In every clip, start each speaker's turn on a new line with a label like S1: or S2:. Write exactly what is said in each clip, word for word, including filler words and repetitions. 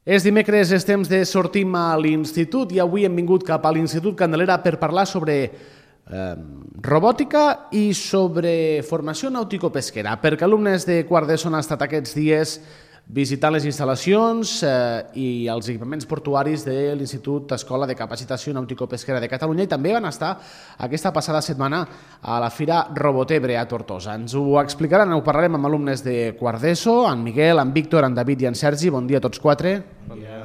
S1: És dimecres, és temps de sortim a l'institut i avui hem vingut cap a l'Institut Candelera per parlar sobre eh, robòtica i sobre formació nàutico-pesquera, perquè alumnes de quart d'ESO han estat aquests dies visitant les instal·lacions eh, i els equipaments portuaris de l'Institut Escola de Capacitació Nàutico-Pesquera de Catalunya i també van estar aquesta passada setmana a la Fira Robotebre a Tortosa. Ens ho explicaran, ho parlarem amb alumnes de quart d'ESO, en Miguel, en Víctor, en David i en Sergi. Bon dia a tots quatre.
S2: Bon dia.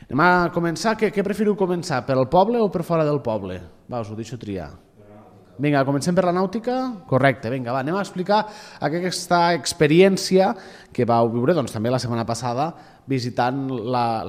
S1: Anem a començar. Què, què preferiu començar, per al poble o per fora del poble? Va, us ho deixo triar. Vinga, comencem per la nàutica? Correcte, vinga, va, anem a explicar aquesta experiència que vau viure doncs, també la setmana passada visitant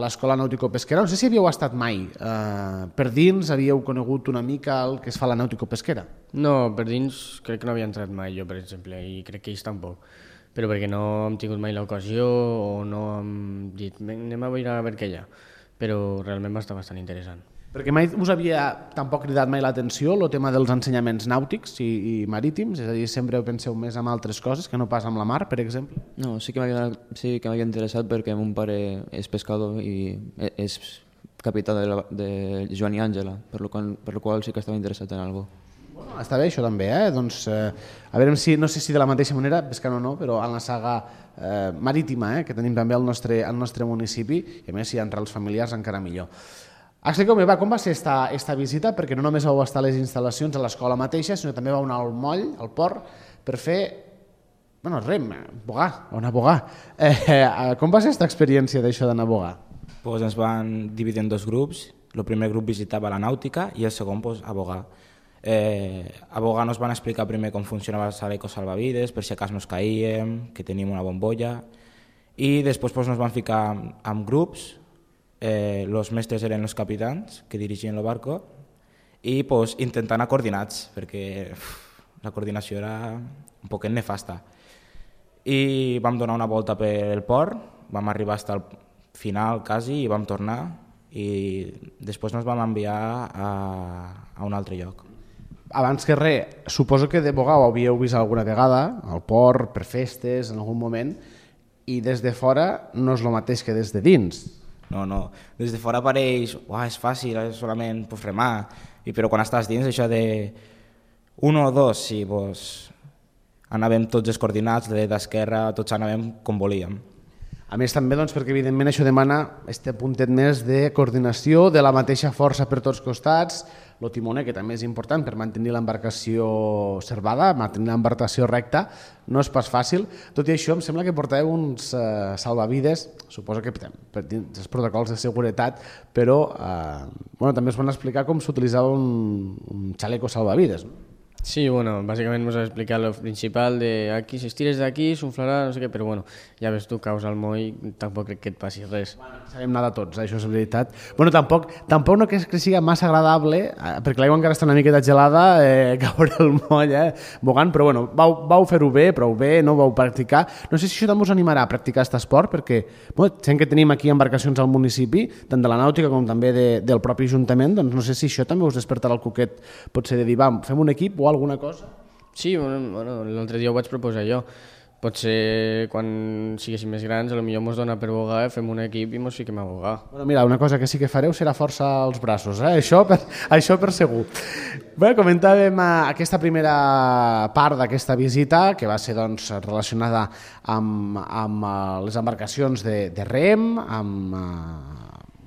S1: l'Escola Nàutico-Pesquera. No sé si havíeu estat mai eh, per dins, havíeu conegut una mica el que es fa la nàutico-pesquera?
S2: No, per dins crec que no havia entrat mai jo, per exemple, i crec que ells tampoc. Però perquè no hem tingut mai l'ocasió o no hem dit anem a veure a veure què hi ha. Però realment va estar bastant interessant.
S1: Perquè mai us havia tampoc cridat mai l'atenció el tema dels ensenyaments nàutics i, i marítims? És a dir, sempre penseu més en altres coses que no pas amb la mar, per exemple?
S3: No, sí que m'havia sí que m'havia interessat perquè mon pare és pescador i és capità de, la, de Joan i Àngela, per lo qual, per lo qual sí que estava interessat en alguna cosa.
S1: Bueno, està bé això també, eh? Doncs, eh, a veure si, no sé si de la mateixa manera, pescant o no, però en la saga eh, marítima, eh, que tenim també al nostre, al nostre municipi, i a més si hi ha entrals familiars encara millor. Expliqueu-me, va, com va ser esta, esta visita? Perquè no només vau estar a les instal·lacions a l'escola mateixa, sinó també vau anar al moll, al port, per fer, bueno, rem, bogar, anar a bogar. Eh, eh, com va ser aquesta experiència d'això d'anar a bogar?
S4: Pues ens van dividir en dos grups. El primer grup visitava la nàutica i el segon pues, a bogar. Eh, a bogar nos van explicar primer com funcionava el xaleco salvavides, per si a cas nos caíem, que teníem una bombolla, i després pues, nos van ficar amb grups. Eh, los mestres eren els capitans que dirigien el barco i pues, intentant anar coordinats perquè uf, la coordinació era un poquet nefasta i vam donar una volta pel port, vam arribar fins al final quasi i vam tornar i després ens vam enviar a, a un altre lloc.
S1: Abans que res, suposo que de bogar ho havíeu vist alguna vegada al port, per festes, en algun moment, i des de fora no és el mateix que des de dins.
S4: No, no. Des de fora pareix, uah, és fàcil, és solament pues, remar, I, però quan estàs dins això de un o dos, sí, pues, anàvem tots els coordinats, de d'esquerra, tots anàvem com volíem.
S1: A més també doncs, perquè evidentment això demana este puntet més de coordinació, de la mateixa força per tots costats, el timoner, que també és important per mantenir l'embarcació servada, mantenir l'embarcació recta, no és pas fàcil. Tot i això, em sembla que portàveu uns eh, salvavides, suposo que per dins els protocols de seguretat, però eh, bueno, també us van explicar com s'utilitzava un, un xaleco salvavides, no?
S2: Sí, bueno, bàsicament ens va explicar el principal de aquí, si estires d'aquí, s'unflarà, no sé què, però bueno, ja ves tu, caus al moll, tampoc crec que et passi res.
S1: Bueno, sabem nedar tots, això és veritat. Bueno, tampoc, tampoc no que, que sigui massa agradable, eh, perquè l'aigua encara està una miqueta gelada, eh, caure al moll, eh, bogant, però bueno, vau, vau fer-ho bé, prou bé, no vau practicar. No sé si això també us animarà a practicar aquest esport, perquè bueno, sent que tenim aquí embarcacions al municipi, tant de la nàutica com també de, del propi ajuntament, doncs no sé si això també us despertarà el coquet, potser de dir, va, fem un equip o alguna cosa?
S2: Sí, bueno, l'altre dia ho vaig proposar jo. Potser quan siguéssim més grans, potser mos dona per bogar, fem un equip i mos fiquem a bogar.
S1: Bueno, mira, una cosa que sí que fareu serà força als braços, eh? Això, per, això per segur. Bé, comentàvem aquesta primera part d'aquesta visita, que va ser doncs, relacionada amb, amb les embarcacions de, de rem, amb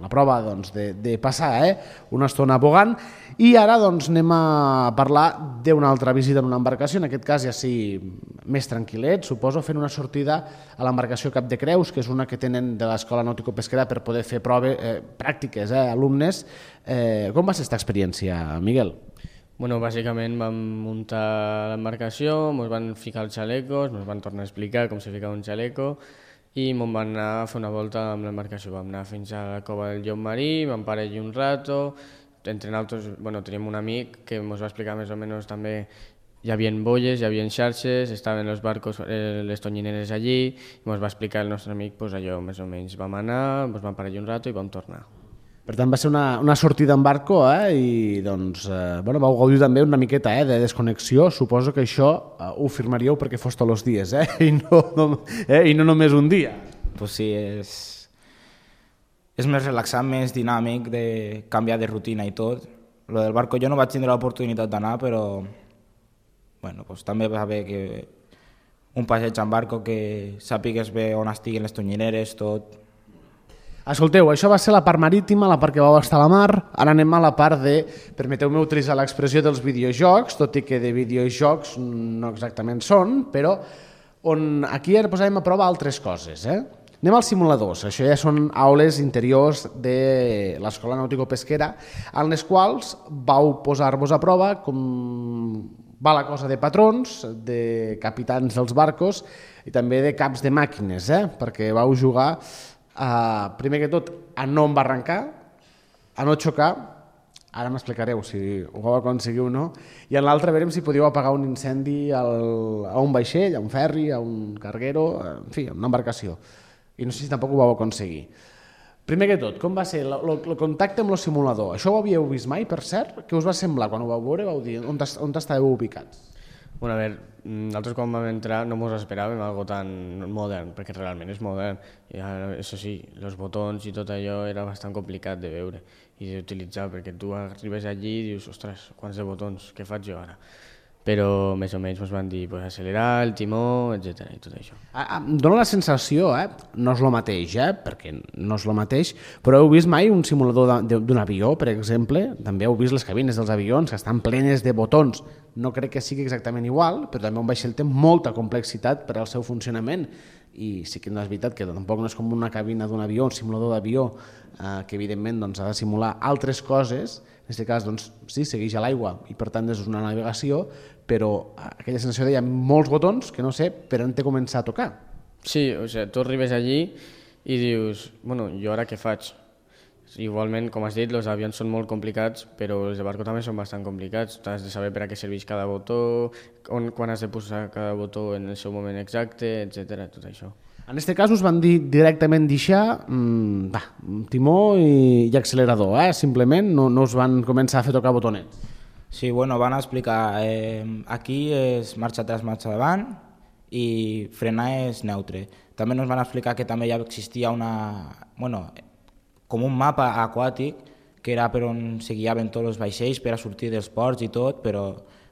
S1: la prova doncs, de, de passar eh? una estona bogant, i ara doncs, anem a parlar d'una altra visita en una embarcació, en aquest cas ja sí més tranquil·let, suposo, fent una sortida a l'embarcació Cap de Creus, que és una que tenen de l'Escola Nàutico-Pesquera per poder fer proves eh, pràctiques, eh, alumnes. Eh, com va ser aquesta experiència, Miguel?
S2: Bueno, bàsicament vam muntar l'embarcació, ens van ficar els xalecos, ens van tornar a explicar com se ficava un xaleco, i me'n van anar a fer una volta amb l'embarcació. Vam anar fins a la cova del llop marí, vam parar allí un rato, entre nosaltres bueno, teníem un amic que ens va explicar més o menys també, hi havia bolles, hi havia xarxes, estaven els barcos, eh, les tonyineres allí, i ens va explicar el nostre amic pues, allò més o menys. Vam anar, ens vam parar allí un rato i vam tornar.
S1: Per tant, va ser una, una sortida en barco eh? I doncs, eh, bueno, vau gaudir també una miqueta eh, de desconnexió. Suposo que això eh, ho firmaríeu perquè fos tots els dies eh? I, no, no, eh? I no només un dia.
S4: Pues sí, és... és més relaxant, més dinàmic, de canviar de rutina i tot. Lo del barco jo no vaig tindre l'oportunitat d'anar, però bueno, pues, també va bé que un passeig en barco, que sàpigues bé on estiguen les tonyineres, tot.
S1: Escolteu, això va ser la part marítima, la part que vau estar a la mar. Ara anem a la part de, permeteu-me utilitzar l'expressió dels videojocs, tot i que de videojocs no exactament són, però on aquí ara posàvem a prova altres coses. Eh? Anem als simuladors. Això ja són aules interiors de l'Escola Nàutico-Pesquera, en les quals vau posar-vos a prova com va la cosa de patrons, de capitans dels barcos i també de caps de màquines, eh? Perquè vau jugar, eh, primer que tot, a no embarrancar, a no xocar, ara m'explicareu si ho vau aconseguir o no, i en l'altre veurem si podíeu apagar un incendi al, a un vaixell, a un ferri, a un carguero, en fi, a una embarcació. I no sé si tampoc ho vau aconseguir. Primer que tot, com va ser el contacte amb el simulador? Això ho havíeu vist mai, per cert? Què us va semblar quan ho vau veure? Vau dir, on, on estàveu ubicats?
S2: Bueno, a veure, nosaltres quan vam entrar no ens esperàvem algo tan modern, perquè realment és modern. I ara, això sí, els botons i tot allò era bastant complicat de veure i d'utilitzar, perquè tu arribes allí i dius, ostres, quants de botons, què faig jo ara? Però més o menys ens van dir pues, accelerar, el timó, etcètera i tot això.
S1: Ah, em dóna la sensació, eh? No és el mateix, eh? Perquè no és el mateix, però heu vist mai un simulador d'un avió, per exemple? També heu vist les cabines dels avions que estan plenes de botons. No crec que sigui exactament igual, però també un vaixell té molta complexitat per al seu funcionament i sí que no és veritat que tampoc no és com una cabina d'un avió, un simulador d'avió eh, que evidentment doncs, ha de simular altres coses. En aquest cas, doncs, sí, segueix a l'aigua i per tant és una navegació, però aquella sensació de hi ha molts botons que no sé per on té començar a tocar.
S2: Sí, o sigui, tu arribes allí i dius, bueno, jo ara què faig? Igualment, com has dit, els avions són molt complicats, però els de barco també són bastant complicats. Tu has de saber per a què serveix cada botó, on, quan has de posar cada botó en el seu moment exacte, etcètera, tot això.
S1: En aquest cas us van dir directament deixar mmm, va, timó i, i accelerador, eh? Simplement no, no us van començar a fer tocar botonets.
S4: Sí, bueno, van explicar, eh, aquí és marxa atrás, marxa davant i frenar és neutre. També ens van explicar que també ja existia una, bueno, com un mapa aquàtic que era per on se guiaven tots els vaixells per a sortir dels ports i tot, però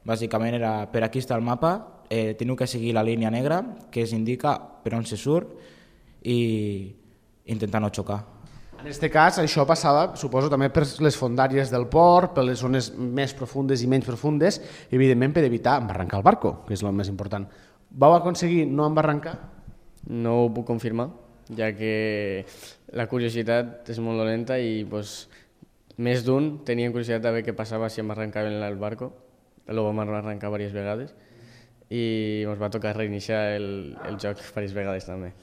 S4: bàsicament era per aquí està el mapa, eh, teniu que seguir la línia negra que es indica per on se surt i intentar no xocar.
S1: En aquest cas, això passava, suposo, també per les fondàries del port, per les zones més profundes i menys profundes, i evidentment per evitar embarrancar el barco, que és el més important. Vau aconseguir no embarrancar?
S2: No ho puc confirmar, ja que la curiositat és molt dolenta i pues, més d'un tenien curiositat de veure què passava si embarrancaven el barco. Lo vam arrencar diverses vegades i ens va tocar reiniciar el, el joc diverses vegades també.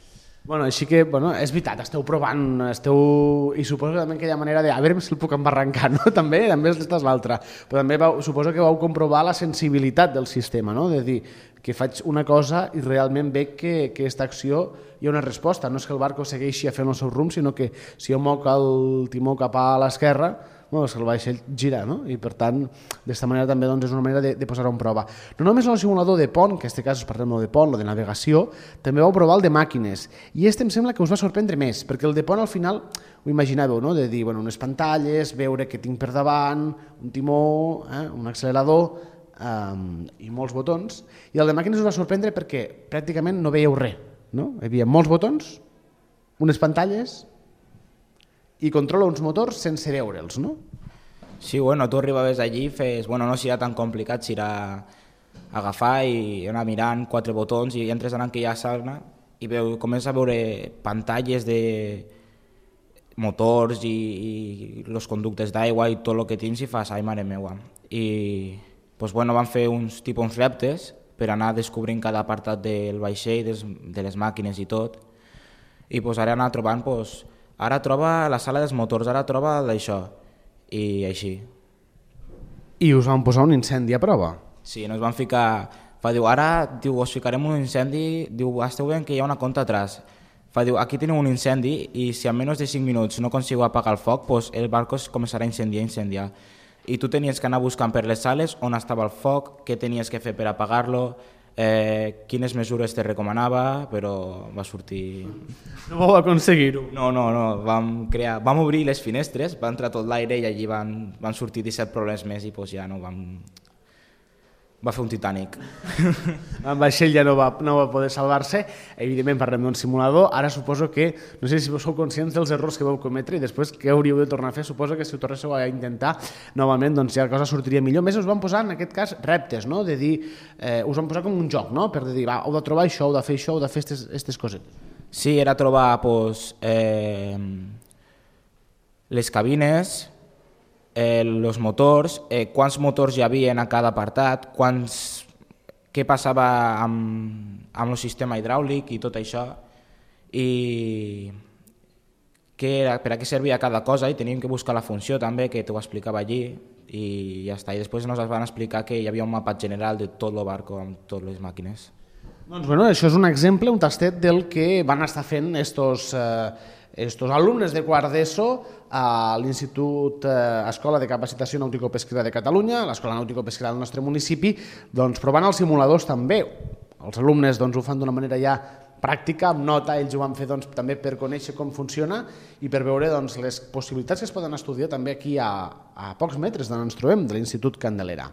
S1: Bueno, així que, bueno, és veritat, esteu provant, esteu... i suposo que també aquella manera de a veure si el puc embarrancar, no? També, també és l'altra. Però també vau, suposo que vau comprovar la sensibilitat del sistema, no? De dir que faig una cosa i realment veig que, que aquesta acció hi ha una resposta. No és que el barco segueixi fent el seu rumb, sinó que si jo moc el timó cap a l'esquerra, bueno, el vaixell gira, no? I per tant, d'aquesta manera també doncs, és una manera de, de posar-ho en prova. No només el simulador de pont, que en aquest cas us parlem de pont, o de navegació, també vau provar el de màquines. I este em sembla que us va sorprendre més, perquè el de pont al final ho imaginàveu, no? De dir, bueno, unes pantalles, veure què tinc per davant, un timó, eh? Un accelerador um, i molts botons. I el de màquines us va sorprendre perquè pràcticament no veieu res, no? Hi havia molts botons, unes pantalles i controla uns motors sense veure'ls, no?
S4: Sí, bueno, tu arribaves allí i fes... Bueno, no serà tan complicat, serà agafar i anar mirant quatre botons i entres en aquella sala i veu, comença a veure pantalles de motors i, i els conductes d'aigua i tot el que tens i fas, ai, mare meua. I pues, bueno, van fer uns tipus uns reptes per anar descobrint cada apartat del vaixell, des, de les màquines i tot. I pues, ara anar trobant... Pues, ara troba la sala dels motors, ara troba d'això, i així.
S1: I us van posar un incendi a prova?
S4: Sí, ens van ficar... Fa, diu, ara diu, us ficarem un incendi, diu, esteu veient que hi ha una conta atrás. Fa, diu, aquí teniu un incendi i si en menys de cinc minuts no consigo apagar el foc, pues el barco es començarà a incendiar, a incendiar. I tu tenies que anar buscant per les sales on estava el foc, què tenies que fer per apagar-lo, eh, quines mesures te recomanava, però va sortir...
S1: No vau aconseguir-ho.
S4: No, no, no, vam, crear, vam obrir les finestres, va entrar tot l'aire i allí van, van sortir disset problemes més i pues, ja no vam... Va fer un Titanic.
S1: El vaixell ja no va, no va poder salvar-se. Evidentment parlem d'un simulador. Ara suposo que, no sé si sou conscients dels errors que vau cometre i després què hauríeu de tornar a fer. Suposo que si ho tornéssiu a intentar novament, doncs ja la cosa sortiria millor. Més us van posar, en aquest cas, reptes, no? De dir, eh, us van posar com un joc, no? Per dir, va, heu de trobar això, heu de fer això, heu de fer aquestes coses.
S4: Sí, era trobar pues, eh, les cabines, els eh, motors, eh, quants motors hi havia a cada apartat, quants, què passava amb, amb el sistema hidràulic i tot això, i què era, per a què servia cada cosa, i teníem que buscar la funció també, que t'ho explicava allí, i ja està. I després ens van explicar que hi havia un mapa general de tot el barco amb totes les màquines.
S1: Doncs bueno, això és un exemple, un tastet del que van estar fent estos... Eh, estos alumnes de quart d'ESO a l'Institut eh, Escola de Capacitació Nàutico-Pesquera de Catalunya, l'Escola Nàutico-Pesquera del nostre municipi, doncs provant els simuladors també. Els alumnes doncs, ho fan d'una manera ja pràctica, amb nota, ells ho van fer doncs, també per conèixer com funciona i per veure doncs, les possibilitats que es poden estudiar també aquí a, a pocs metres d'on ens trobem, de l'Institut Candelera.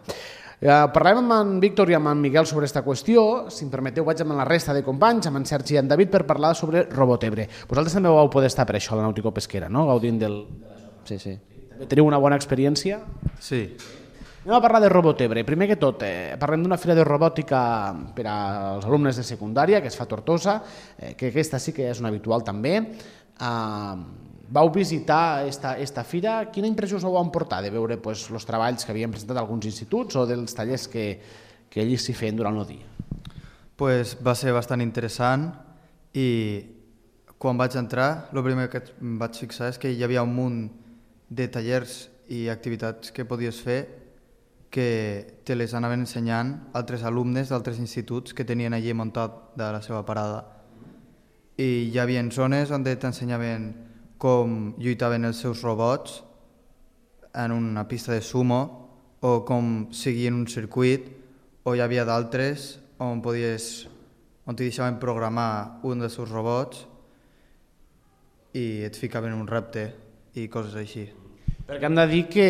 S1: Eh, parlem amb en Víctor i amb en Miguel sobre aquesta qüestió. Si em permeteu, vaig amb la resta de companys, amb en Sergi i en David, per parlar sobre Robotebre. Vosaltres també vau poder estar per això a la Nàutico-Pesquera, no? Gaudint del...
S3: Sí, sí.
S1: També teniu una bona experiència?
S5: Sí.
S1: Anem a parlar de Robotebre. Primer que tot, eh, parlem d'una fira de robòtica per als alumnes de secundària, que es fa a Tortosa, eh, que aquesta sí que és una habitual també. Eh, vau visitar esta, esta fira. Quina impressió us vau emportar de veure pues, els treballs que havien presentat alguns instituts o dels tallers que, que ells s'hi feien durant el dia?
S5: Pues va ser bastant interessant i quan vaig entrar, el primer que em vaig fixar és que hi havia un munt de tallers i activitats que podies fer que te les anaven ensenyant altres alumnes d'altres instituts que tenien allí muntat de la seva parada. I hi havia zones on t'ensenyaven com lluitaven els seus robots en una pista de sumo o com seguien un circuit, o hi havia d'altres on podies, on t'hi deixaven programar un dels seus robots i et ficaven un repte i coses així.
S1: Perquè hem de dir que,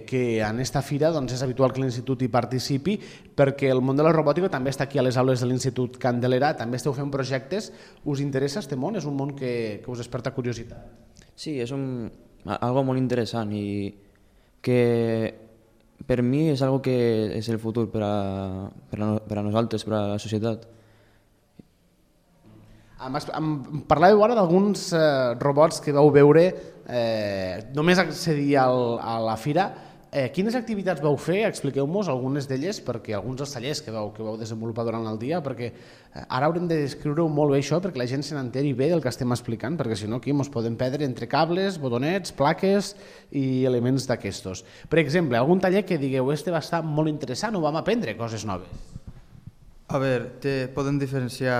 S1: que en esta fira doncs, és habitual que l'Institut hi participi, perquè el món de la robòtica també està aquí a les aules de l'Institut Candelera, també esteu fent projectes. Us interessa este món? És un món que, que us desperta curiositat?
S3: Sí, és un, algo molt interessant i que per mi és algo que és el futur per a, per a, per a nosaltres, per a la societat.
S1: Em, em parlàveu ara d'alguns eh, robots que vau veure eh, només accedir al, a la fira. Eh, quines activitats vau fer? Expliqueu-nos algunes d'elles, perquè alguns dels tallers que vau, que vau desenvolupar durant el dia, perquè eh, ara haurem de descriure-ho molt bé això, perquè la gent se n'enteri bé del que estem explicant, perquè si no aquí ens podem perdre entre cables, botonets, plaques i elements d'aquestos. Per exemple, algun taller que digueu, este va estar molt interessant, o vam aprendre coses noves?
S5: A veure, te podem diferenciar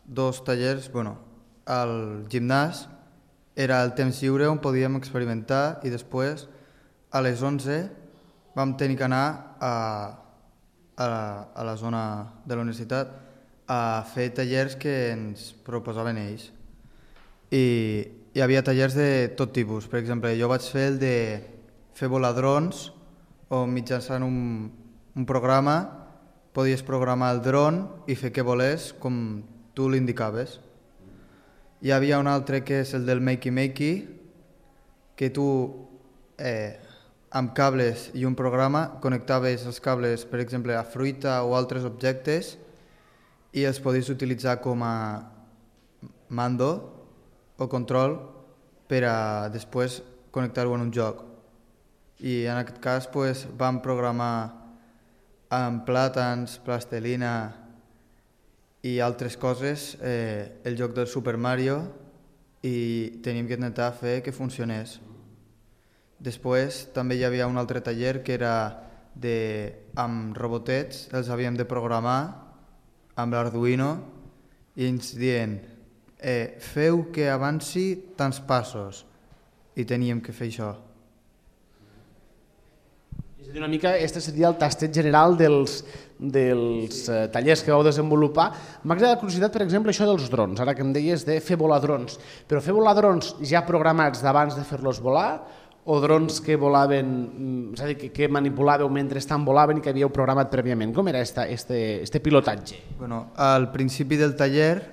S5: dos tallers. Bueno, al gimnàs era el temps lliure on podíem experimentar i després a les onze vam tenir que anar a, a, la, a la zona de la universitat a fer tallers que ens proposaven ells. I hi havia tallers de tot tipus. Per exemple, jo vaig fer el de fer volar drons, on mitjançant un, un programa podies programar el dron i fer que volés com tu l'indicaves. Hi havia un altre que és el del makey-makey, que tu eh, amb cables i un programa connectaves els cables, per exemple, a fruita o altres objectes i els podies utilitzar com a mando o control per a després connectar-ho en un joc. I en aquest cas pues, vam programar amb plàtans, plastelina i altres coses eh, el joc del Super Mario i teníem que intentar fer que funcionés. Després també hi havia un altre taller que era de, amb robotets, els havíem de programar amb l'Arduino i ens dient eh, feu que avanci tants passos i teníem que fer això.
S1: És a Una mica, este seria el tastet general dels, dels eh, tallers que vau desenvolupar. M'ha agradat la curiositat, per exemple, això dels drons, ara que em deies de fer volar drons. Però fer volar drons ja programats d'abans de fer-los volar o drons que volaven, és a dir, que, que manipulàveu mentre estan volaven i que havíeu programat prèviament? Com era esta, este, este pilotatge?
S5: Bueno, al principi del taller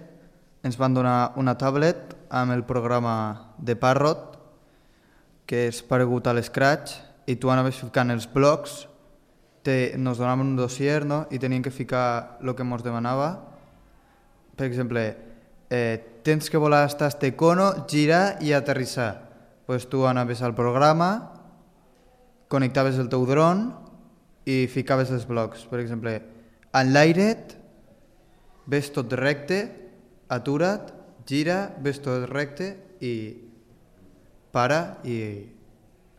S5: ens van donar una tablet amb el programa de Parrot, que és paregut a l'Scratch, i tu anaves ficant els blocs, te, nos donaven un dossier, no? I tenien que ficar el que ens demanava. Per exemple, eh, tens que volar hasta este cono, girar i aterrissar. Pues tu anaves al programa, connectaves el teu dron i ficaves els blocs. Per exemple, en l'aire ves tot recte, atura't, gira, ves tot recte i para i...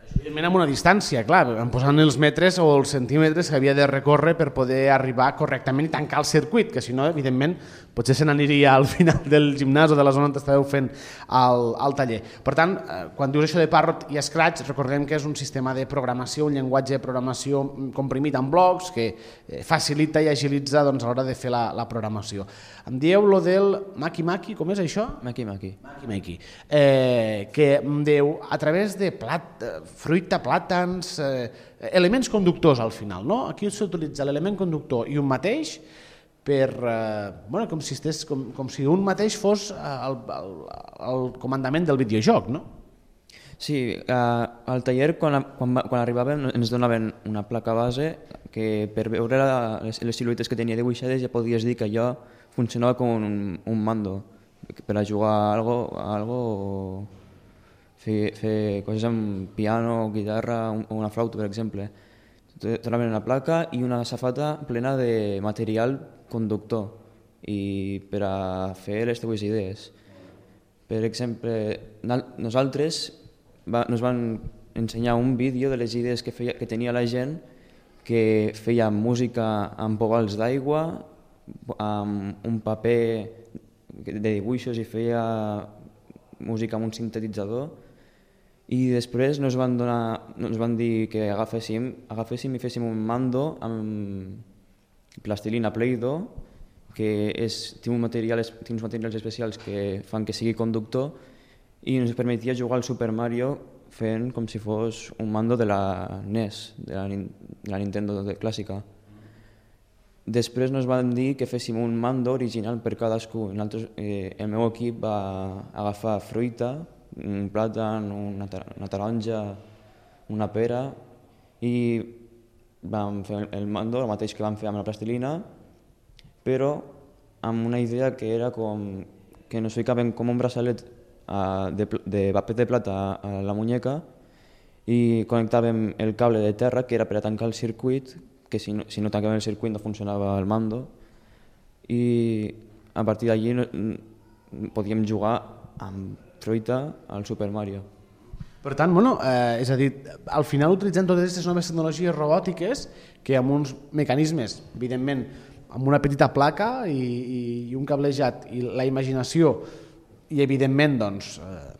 S1: Evidentment amb una distància, clar, posant els metres o els centímetres que havia de recórrer per poder arribar correctament i tancar el circuit, que si no, evidentment, potser se n'aniria al final del gimnàs o de la zona on estàveu fent el, el taller. Per tant, quan dius això de Parrot i Scratch, recordem que és un sistema de programació, un llenguatge de programació comprimit en blocs que facilita i agilitza doncs, a l'hora de fer la, la programació. Em dieu lo del Maki Maki, com és això?
S3: Maki Maki.
S1: Maki Maki. Eh, que em diu, a través de plat, fruita, plàtans, eh, elements conductors al final, no? Aquí s'utilitza l'element conductor i un mateix per, eh, bueno, com si, estés, com, com si un mateix fos el, el, el comandament del videojoc, no?
S3: Sí, eh, al taller quan, quan, quan arribàvem ens donaven una placa base que per veure la, les, les siluetes que tenia dibuixades ja podies dir que allò funcionava com un, un mando per a jugar a algo, a algo o fer, fer coses amb piano, guitarra o una flauta, per exemple. Donaven una placa i una safata plena de material conductor i per a fer les teves idees. Per exemple, nosaltres va, nos van ensenyar un vídeo de les idees que, feia, que tenia la gent, que feia música amb pogals d'aigua, amb un paper de dibuixos i feia música amb un sintetitzador, i després nos van, donar, nos van dir que agaféssim, agaféssim i féssim un mando amb plastilina Play-Doh, que és, té, un material, té uns materials especials que fan que sigui conductor i ens permetia jugar al Super Mario fent com si fos un mando de la N E S, de la, de la Nintendo de clàssica. Després nos van dir que féssim un mando original per cadascú. Nosaltres, eh, el meu equip va agafar fruita, un plàtan, una, una taronja, una pera, i vam fer el mando, el mateix que vam fer amb la plastilina, però amb una idea que era com que nos ficaven com un braçalet de, de paper de plata a la muñeca i connectàvem el cable de terra, que era per a tancar el circuit, que si no, si no tancàvem el circuit no funcionava el mando, i a partir d'allí podíem jugar amb fruita al Super Mario.
S1: Per tant, bueno, eh, és a dir, al final utilitzant totes aquestes noves tecnologies robòtiques que amb uns mecanismes, evidentment, amb una petita placa i, i, i un cablejat i la imaginació i evidentment doncs, eh,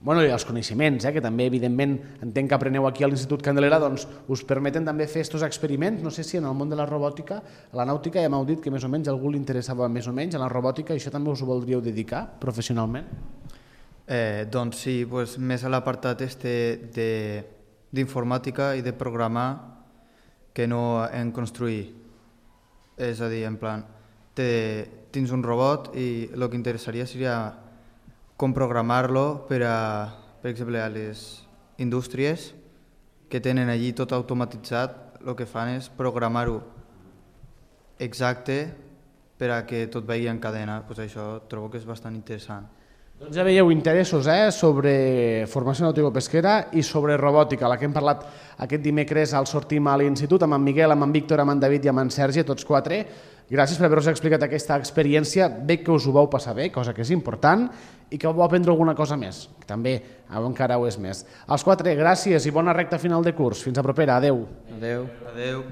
S1: bueno, i els coneixements, eh, que també evidentment entenc que apreneu aquí a l'Institut Candelera, doncs us permeten també fer aquests experiments. No sé si en el món de la robòtica, a la nàutica ja m'heu dit que més o menys a algú li interessava més o menys, a la robòtica, i això també us ho voldríeu dedicar professionalment?
S5: Eh, doncs sí, pues, més a l'apartat este d'informàtica i de programar que no en construir. És a dir, en plan, te, tens un robot i el que interessaria seria com programar-lo per a, per exemple, a les indústries que tenen allí tot automatitzat, el que fan és programar-ho exacte per a que tot vagi en cadena. Pues això trobo que és bastant interessant.
S1: Doncs ja veieu interessos eh, sobre formació nàutico-pesquera i sobre robòtica, la que hem parlat aquest dimecres al Sortim a l'Institut, amb en Miguel, amb en Víctor, amb en David i amb en Sergi, tots quatre. Gràcies per haver-vos explicat aquesta experiència. Veig que us ho vau passar bé, cosa que és important, i que vau aprendre alguna cosa més, que també encara ho és més. Els quatre, gràcies i bona recta final de curs. Fins a propera. Adéu.
S3: Adéu.
S5: Adéu.